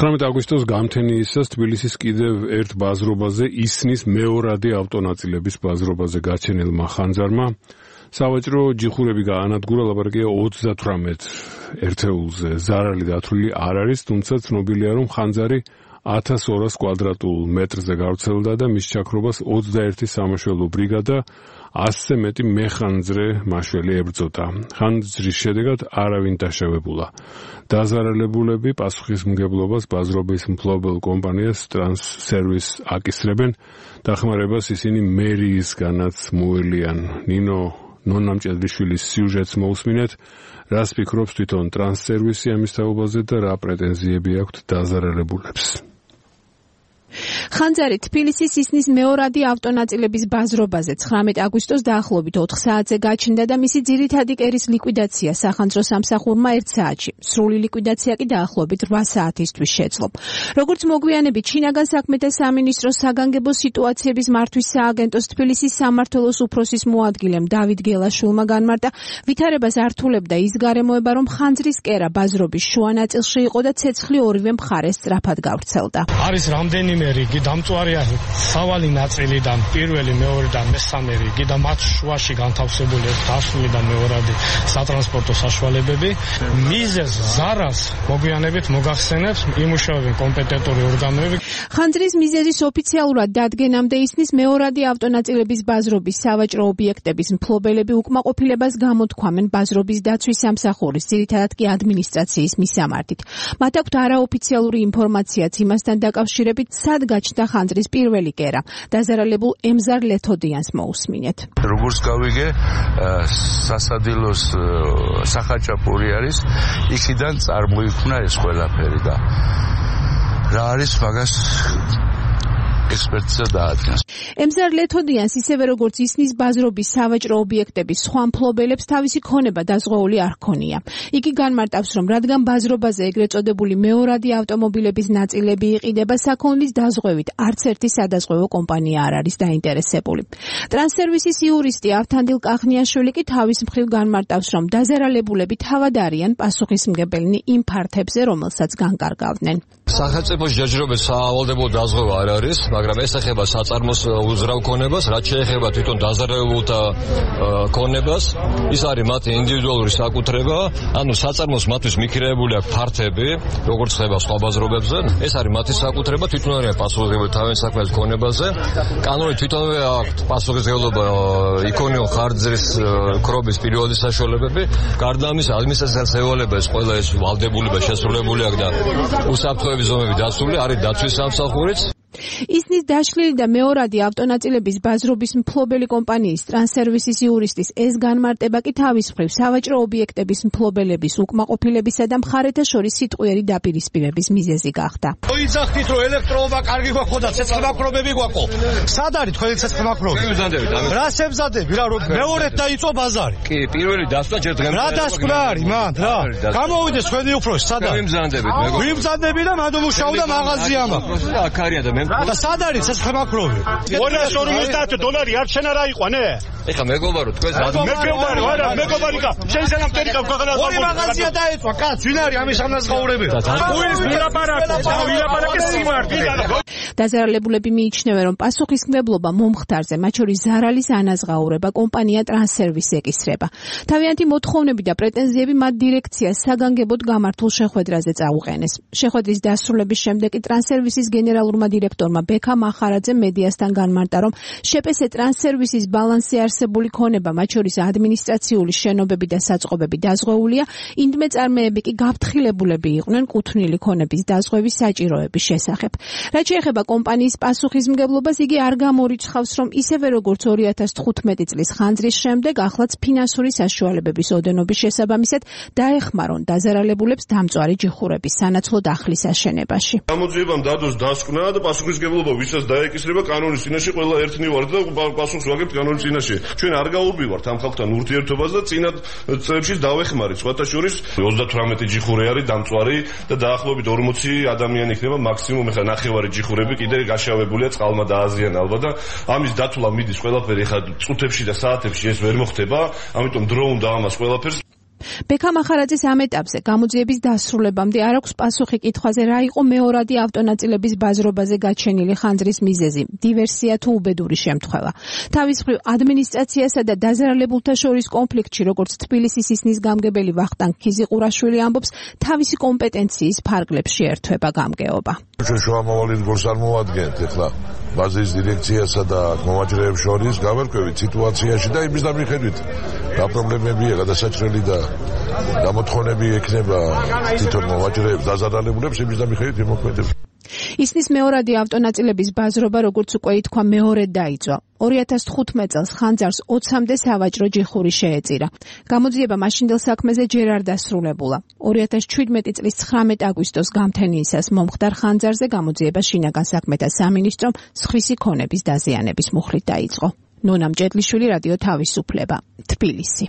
19 აგვისტოს გამთენიისას თბილისის კიდევ ერთ ბაზრობაზე ისნის მეორადი ავტონაწილების ბაზრობაზე გაჩენილმა ხანძარმა სავაჭრო ჯიხურები გაანადგურა, ლაპარაკია 38 ერთეულზე. ზარალი დათვლილი არ არის, თუმცა ცნობილია, რომ ხანძარი 1200 კვადრატულ მეტრზე გავრცელდა და მის ჩაქრობას 21 სამაშველო ბრიგადა 100-ზე მეტი მეხანძრე მაშველი ებრძოდა. ხანძრის შედეგად არავინ დაშავებულა. დაზარალებულები პასუხისმგებლობას ბაზრობის მფლობელ კომპანიას ტრანსსერვის აკისრებენ. დახმარებას ისინი მერიისგანაც მოელიან. ნინო ნონამჭედრიშვილის სიუჟეტს მოусმინეთ. რას ფიქრობს თვითონ ტრანსსერვისი ამის თაობაზე და რა პრეტენზიები აქვთ დაზარალებულებს? ხანძარი თბილისის ისნის მეორადი ავტონაწილების ბაზრობაზე 19 აგვისტოს დაახლოებით 4 საათზე გაჩნდა და მისი ძირითადი კერის ლიკვიდაცია სახანძრო სამსახურმა 1 საათში. სრული ლიკვიდაცია კი დაახლოებით 8 საათისთვის შეძლო. როგორც მოგვიანებით შინაგან საქმეთა სამინისტროს საგანგებო სიტუაციების მართვის სააგენტოს თბილისის სამმართველოს უფროსის მოადგილემ დავით გელაშვილმა განმარტა, ვითარებას ართულებდა ის გარემოება, რომ ხანძრის კერა ბაზრობის შუა ნაწილში იყო და ცეცხლი ორივე მხარეს სწრაფად გავრცელდა. არის რამდენიმე რიგი დამწვარია სავალი ნაწილიდან პირველი, მეორე და მესამე რიგი და მათ შუაში განთავსებული დასული და მეორადი სატრანსპორტო საშუალებები. მიზეზ ზარალს მოგვიანებით მოგახსენებს იმუშავებენ კომპეტენტური ორგანოები. ხანძრის მიზეზის ოფიციალურად დადგენამდე ისნის მეორადი ავტონაწილების ბაზრობის სავაჭრო ობიექტების მფლობელები უკმაყოფილებას გამოთქვამენ ბაზრობის დაცვის სამსახურის, ძირითადად კი ადმინისტრაციის მისამართით. მათ აქვთ არაოფიციალური ინფორმაციაც იმასთან დაკავშირებით, სად გაჩნდა ხანძრის პირველი კერა. დაზარალებულ ემზარ ლეთოდიანს მოусმინეთ. როგორც გავიგე, სასადილოს სახაჭაპური არის, იქიდან წარმოიქმნა ეს ყველაფერი და რა არის მაგას ექსპერტიზა დაადგინეს. ემზარ ლეთოდიანს ისევე როგორც ისნის ბაზრობის სავაჭრო ობიექტების სხვა მფლობელებს თავისი ქონება დაზღვეული არ ჰქონია. იგი განმარტავს, რომ რადგან ბაზრობაზე ეგრეთ წოდებული მეორადი ავტომობილების ნაწილები იყიდება, საქონლის დაზღვევით არც ერთი სადაზღვევო კომპანია არ არის დაინტერესებული. ტრანსსერვისის იურისტი ავთანდილ კახნიაშვილი კი თავის მხრივ განმარტავს, რომ დაზარალებულები თავად არიან პასუხისმგებელნი იმ ფართებზე, რომელსაც განკარგავდნენ. სახელმწიფოს ჯერჯერობით სავალდებულო დაზღვევა არ არის, მაგრამ ეს ეხება საწარმოს უზრაო ქონებას, რაც შეეხება თვითონ დაზარალებულთა ქონებას, ის არის მათი ინდივიდუალური საკუთრება, ანუ საწარმოს მათთვის მიქირებული აქვს ფართები, როგორც ხდება სხვა ბაზრობებზე, ეს არის მათი საკუთრება, თვითონ არიან პასუხისმგებელი თავის საქმეების ქონებაზე. კანონით თვითონვე აქვს პასუხისმგებლობა იქონიო ხანძრის ქრობის პირველი საშუალებები, გარდა ამისა ადმინისტრაციას ევალება ეს ყველა ეს ვალდებულება შესრულებული აქვს და უსაფრთხოების ზომები დაცული არის დაცვის სამსახურიც. ისნის დაშლილი და მეორადი ავტონაწილების ბაზრობის მფლობელი კომპანიის ტრანსსერვისის იურისტის ეს განმარტება კი თავის მხრივ სავაჭრო ობიექტების მფლობელების უკმაყოფილებისა და მხარეთა შორის სიტყვიერი დაპირისპირების მიზეზი გახდა. მოიძახდით, რომ ელექტროობა კარგი გვაქვს და ცეცხლმაქრობები გვაქვს. სად არის თქვენი ცეცხლმაქრობები? რას ემზადები რა, რომ მეორედ დაიწყო ბაზარი? კი, პირველი დასვლა ჯერ დღემდე. რა დასკვნა არის მან, რა? გამოვიდეს თქვენი უფროსი, სად არის? ვიმზადები და მანდ მუშაობდა მაღაზია მაქვს. აქ არიან და მე და სად არის ცეცხლმაქრობი? $250 არ შენ არა იყვანე? ეხა მეგობარო თქვენ მეგობარი არა, მეგობარიკა. შენ ზანამტერი გაგვაღანა. ორი მაღაზია დაეწვა, კაც, ვინ არის ამის ამნაზღაურებელი? უის ვილაპარაკე სიმართლე. დაზარალებულები მიიჩნევენ, რომ პასუხისმგებლობა მომხდარზე, მათ შორის ზარალის ანაზღაურება კომპანია ტრანსსერვისი ეკისრება. თავიანთი მოთხოვნები და პრეტენზიები მათ დირექციას საგანგებოდ გამართულ შეხვედრაზე წაუყენეს. შეხვედრის დასრულების შემდეგ კი ტრანსსერვისის გენერალურმა დირექტორმა ბექა მახარაძემ მედიასთან განმარტა, რომ შპს ტრანსსერვისის ბალანსზე არსებული ქონება, მათ შორის ადმინისტრაციული შენობები და საწყობები დაზღვეულია, ინდმეწარმეები კი გაფრთხილებულები იყვნენ კუთვნილი ქონების დაზღვევის საჭიროების შესახებ. რაც შეეხება კომპანიის პასუხისმგებლობას, იგი არ გამორიცხავს, რომ ისევე როგორც 2015 წლის ხანძრის შემდეგ, ახლაც ფინანსური საშუალებების ოდენობის შესაბამისად დაეხმარონ დაზარალებულებს დამწვარი ჯიხურების სანაცვლო დახლის აშენებაში. გამოძიებამ დადოს დასკვნა და პასუხისმგებლობა ვისაც დაეკისრება კანონის წინაშე ყველა ერთნი ვართ და პასუხს ვაგებთ კანონის წინაშე. ჩვენ არ გაურბივართ ამ ხალხთან ურთიერთობას და წინა წლებში დავეხმარეთ. სხვათა შორის 38 ჯიხური არის დამწვარი და დაახლოებით 40 ადამიანი იქნება მაქსიმუმ. ეხლა ნახევარი ჯიხურები კიდე გაშავებულია, წყალმა დააზიანა ალბათ და ამის დათვლა მიდის ყველაფერი ეხლა წუთებში და საათებში ეს ვერ მოხდება, ამიტომ დრო უნდა ამას ყველაფერს ბექა მახარაძის ამ ეტაპზე გამოძიების დასრულებამდე არ აქვს პასუხი კითხვაზე რა იყო მეორადი ავტონაწილების ბაზრობაზე გაჩენილი ხანძრის მიზეზი, დივერსია თუ უბედური შემთხვევა. თავის მხრივ ადმინისტრაციასა და დაზარალებულთა შორის კონფლიქტში, როგორც თბილისის ისნის გამგებელი ვახტანგ ქიზიყურაშვილი ამბობს, თავისი კომპეტენციის ფარგლებს შეერთვება გამგეობა. შუამავალი რგოლს არ მოვადგენთ ეხლა ბაზის დირექციასა და მომაჯრეებს შორის გავერკვევით სიტუაციაში და იმის დამიხედვით რა პრობლემებია გადასაჭრელი და გამოთხოვნები ექნება თვითონ მომაჯრეებს დაზარალებულებს იმის დამიხედვით იმოქმედებს. ისნის მეორადი ავტონაწილების ბაზრობა, როგორც უკვე ითქვა, მეორედ დაიწყო. 2015 წელს ხანძარს 20-მდე სავაჭრო ჯიხური შეეწირა. გამოძიება მაშინდელ საქმეზე ჯერ არ დასრულებულა. 2017 წლის 19 აგვისტოს გამთენიისას მომხდარ ხანძარზე გამოძიება შინაგან საქმეთა სამინისტრომ სხვისი ქონების დაზიანების მუხლით დაიწყო. ნონა მჭედლიშვილი, რადიო თავისუფლება, თბილისი.